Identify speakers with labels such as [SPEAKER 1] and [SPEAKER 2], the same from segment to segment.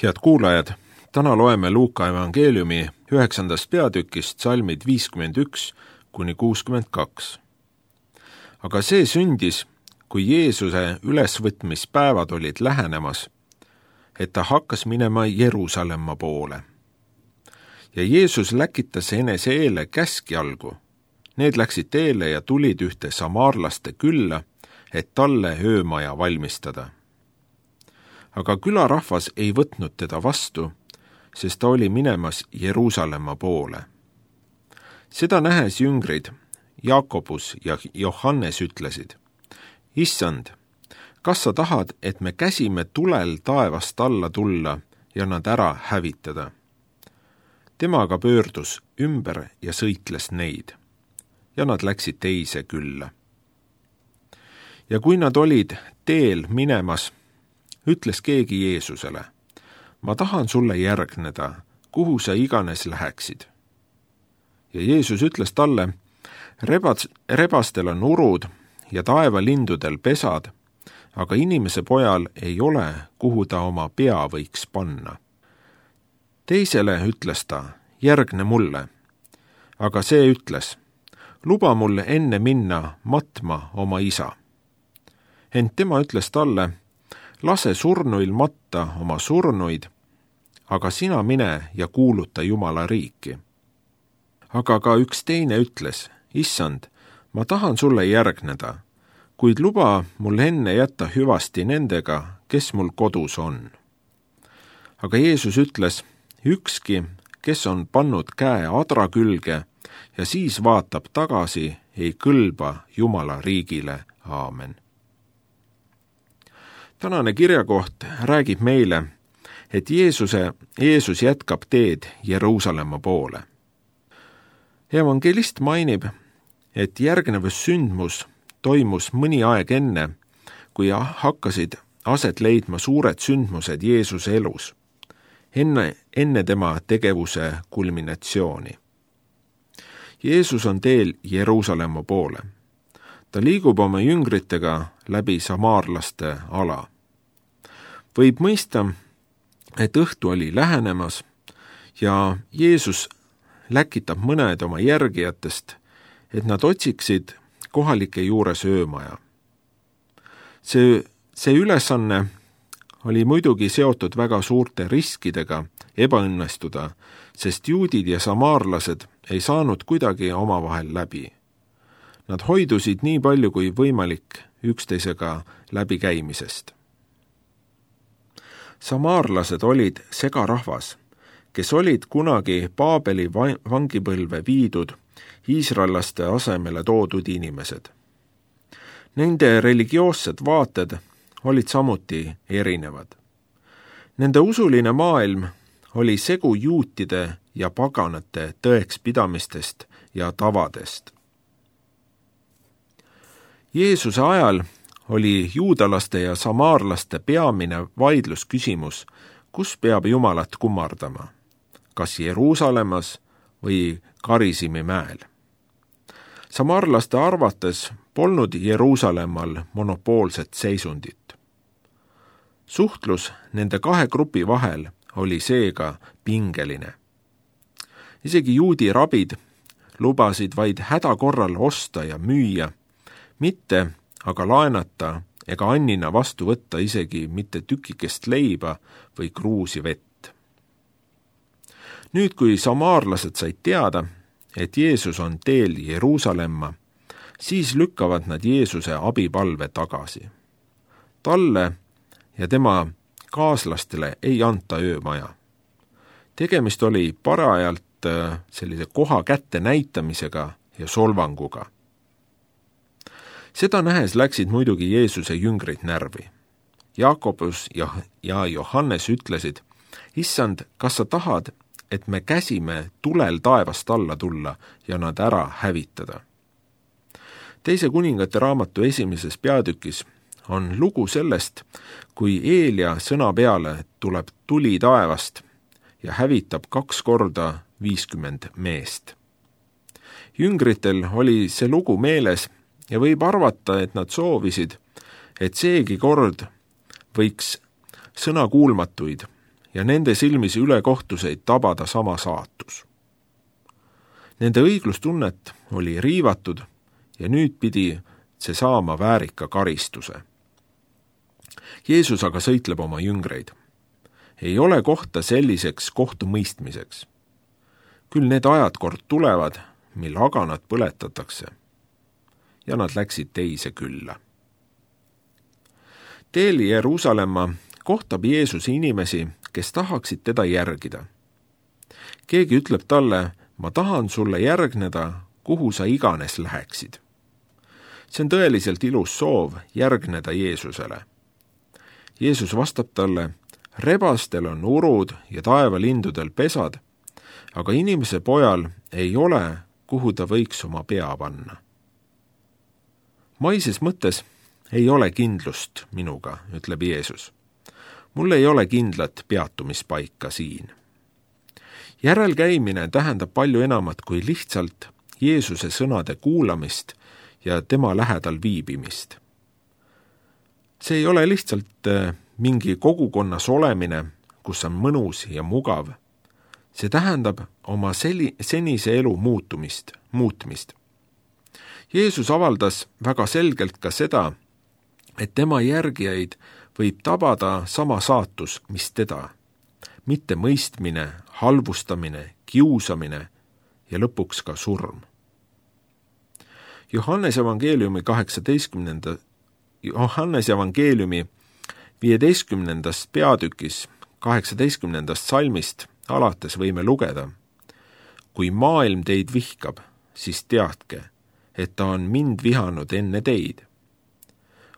[SPEAKER 1] Head kuulajad, täna loeme Luuka evangeeliumi 9. peatükist salmid 51 kuni 62. Aga see sündis, kui Jeesuse ülesvõtmispäevad olid lähenemas, et ta hakkas minema Jeruusalemma poole. Ja Jeesus läkitas enese eele käskjalgu. Need läksid teele ja tulid ühte samaarlaste külla, et talle öömaja valmistada. Aga külarahvas ei võtnud teda vastu, sest ta oli minemas Jeruusalemma poole. Seda nähes jüngrid, Jaakobus ja Johannes ütlesid: Issand, kas sa tahad, et me käsime tulel taevast alla tulla ja nad ära hävitada? Tema aga pöördus ümber ja sõitles neid, ja nad läksid teise külla. Ja kui nad olid teel minemas, ütles keegi Jeesusele: ma tahan sulle järgneda, kuhu sa iganes läheksid. Ja Jeesus ütles talle: rebastel on urud ja taevalindudel pesad, aga inimese pojal ei ole, kuhu ta oma pea võiks panna. Teisele ütles ta: järgne mulle. Aga see ütles: luba mul enne minna matma oma isa. Ent tema ütles talle: lase surnuil matta oma surnuid, aga sina mine ja kuuluta Jumala riiki. Aga ka üks teine ütles: Issand, ma tahan sulle järgneda, kuid luba mul enne jätta hüvasti nendega, kes mul kodus on. Aga Jeesus ütles: ükski, kes on pannud käe adra külge ja siis vaatab tagasi, ei kõlba Jumala riigile. Aamen. Tänane kirjakoht räägib meile, et Jeesus jätkab teed Jeruusalemma poole. Evangelist mainib, et järgnevus sündmus toimus mõni aeg enne, kui hakkasid aset leidma suured sündmused Jeesuse elus, enne tema tegevuse kulminatsiooni. Jeesus on teel Jeruusalemma poole. Ta liigub oma jüngritega läbi samaarlaste ala. Võib mõista, et õhtu oli lähenemas ja Jeesus läkitab mõned oma järgijatest, et nad otsiksid kohalike juures öömaja. See ülesanne oli muidugi seotud väga suurte riskidega ebaõnnestuda, sest juudid ja samaarlased ei saanud kuidagi omavahel läbi. Nad hoidusid nii palju kui võimalik üksteisega läbikäimisest. Samaarlased olid segarahvas, kes olid kunagi Paabeli vangipõlve viidud iisraellaste asemele toodud inimesed. Nende religioossed vaated olid samuti erinevad. Nende usuline maailm oli segu juutide ja paganate tõekspidamistest ja tavadest. Jeesuse ajal oli juudalaste ja samaarlaste peamine vaidlusküsimus, kus peab Jumalat kummardama, kas Jeruusalemmas või Karisimi mäel. Samaarlaste arvates polnud Jeruusalemmal monopoolset seisundit. Suhtlus nende kahe grupi vahel oli seega pingeline. Isegi juudi rabid lubasid vaid hädakorral osta ja müüa, mitte aga laenata ega annina vastu võtta isegi mitte tükikest leiba või kruusi vett. Nüüd, kui samaarlased said teada, et Jeesus on teel Jeruusalemma, siis lükkavad nad Jeesuse abipalve tagasi. Talle ja tema kaaslastele ei anta öömaja. Tegemist oli parajalt sellise koha kätte näitamisega ja solvanguga. Seda nähes läksid muidugi Jeesuse jüngrid närvi. Jaakobus ja Johannes ütlesid: Issand, kas sa tahad, et me käsime tulel taevast alla tulla ja nad ära hävitada? Teise kuningate raamatu 1. peatükis on lugu sellest, kui Eelia sõna peale tuleb tuli taevast ja hävitab 2 korda 50 meest. Jüngritel oli see lugu meeles ja võib arvata, et nad soovisid, et seegi kord võiks sõnakuulmatuid ja nende silmis ülekohtuseid tabada sama saatus. Nende õiglustunnet oli riivatud ja nüüd pidi see saama väärika karistuse. Jeesus aga sõitleb oma jüngreid. Ei ole kohta selliseks kohtumõistmiseks. Küll need ajad kord tulevad, mil haganad põletatakse. Ja nad läksid teise külla. Teel Jeruusalemma kohtab Jeesus inimesi, kes tahaksid teda järgida. Keegi ütleb talle, ma tahan sulle järgneda, kuhu sa iganes läheksid. See on tõeliselt ilus soov järgneda Jeesusele. Jeesus vastab talle, rebastel on urud ja taevalindudel pesad, aga inimese pojal ei ole, kuhu ta võiks oma pea panna. Maises mõttes ei ole kindlust minuga, ütleb Jeesus. Mul ei ole kindlat peatumispaika siin. Järelkäimine tähendab palju enamat kui lihtsalt Jeesuse sõnade kuulamist ja tema lähedal viibimist. See ei ole lihtsalt mingi kogukonnas olemine, kus on mõnus ja mugav. See tähendab oma senise elu muutmist. Jeesus avaldas väga selgelt ka seda, et tema järgijaid võib tabada sama saatus, mis teda. Mitte mõistmine, halvustamine, kiusamine ja lõpuks ka surm. Johannes evangeeliumi 15. peatükis 18. salmist alates võime lugeda. Kui maailm teid vihkab, siis teadke, et ta on mind vihanud enne teid.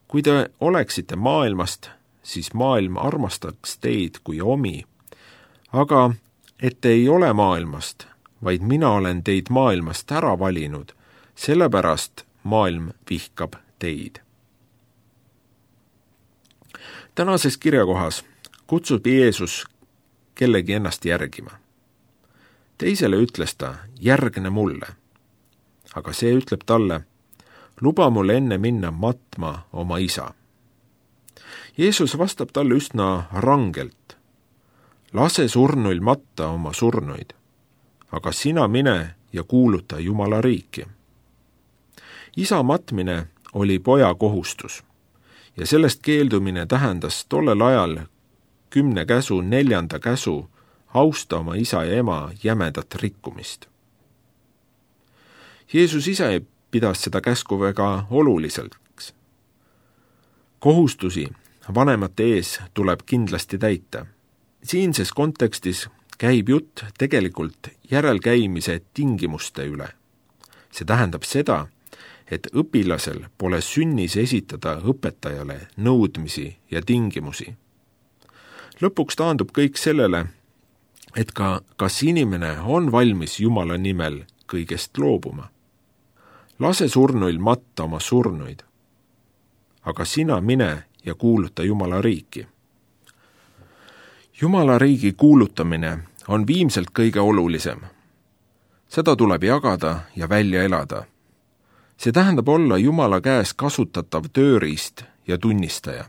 [SPEAKER 1] Kui te oleksite maailmast, siis maailm armastaks teid kui omi. Aga et te ei ole maailmast, vaid mina olen teid maailmast ära valinud, sellepärast maailm vihkab teid. Tänases kirjakohas kutsub Jeesus kellegi ennast järgima. Teisele ütles ta, järgne mulle. Aga see ütleb talle, luba mul enne minna matma oma isa. Jeesus vastab talle üsna rangelt. Lase surnuil matta oma surnuid, aga sina mine ja kuuluta Jumala riiki. Isa matmine oli poja kohustus ja sellest keeldumine tähendas tollel ajal 10 käsu 4. käsu austa oma isa ja ema jämedat rikkumist. Jeesus ise pidas seda käsku väga oluliseks. Kohustusi vanemate ees tuleb kindlasti täita. Siinses kontekstis käib jutt tegelikult järelkäimise tingimuste üle. See tähendab seda, et õpilasel pole sünnis esitada õpetajale nõudmisi ja tingimusi. Lõpuks taandub kõik sellele, et kas inimene on valmis Jumala nimel kõigest loobuma. Lase surnuil matta oma surnuid, aga sina mine ja kuuluta Jumala riiki. Jumala riigi kuulutamine on viimselt kõige olulisem. Seda tuleb jagada ja välja elada. See tähendab olla Jumala käes kasutatav tööriist ja tunnistaja.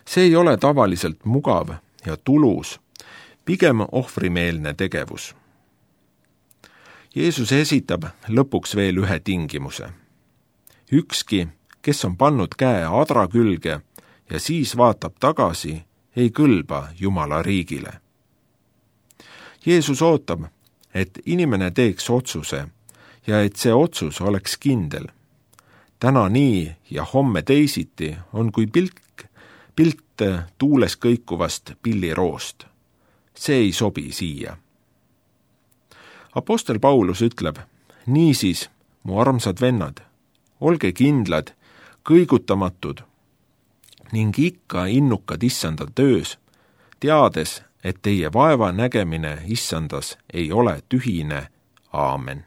[SPEAKER 1] See ei ole tavaliselt mugav ja tulus, pigem ohvrimeelne tegevus. Jeesus esitab lõpuks veel ühe tingimuse. Ükski, kes on pannud käe adra külge ja siis vaatab tagasi, ei kõlba Jumala riigile. Jeesus ootab, et inimene teeks otsuse ja et see otsus oleks kindel. Täna nii ja homme teisiti on kui pilt tuules kõikuvast pilliroost. See ei sobi siia. Apostel Paulus ütleb, niisiis, mu armsad vennad, olge kindlad, kõigutamatud ning ikka innukad issanda töös, teades, et teie vaeva nägemine issandas ei ole tühine. Aamen.